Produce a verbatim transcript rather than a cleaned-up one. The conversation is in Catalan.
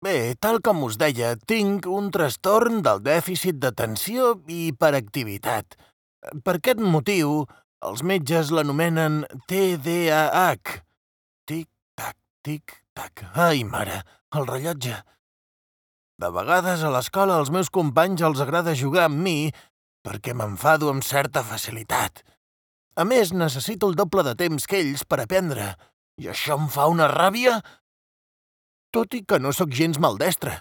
Bé, tal com us deia, tinc un trastorn del dèficit d'atenció i hiperactivitat. Per aquest motiu, els metges l'anomenen T D A H. Tic-tac, tic-tac. Ai, mare, el rellotge. De vegades a l'escola als meus companys els agrada jugar amb mi perquè m'enfado amb certa facilitat. A més, necessito el doble de temps que ells per aprendre, i això em fa una ràbia, tot i que no sóc gens maldestre.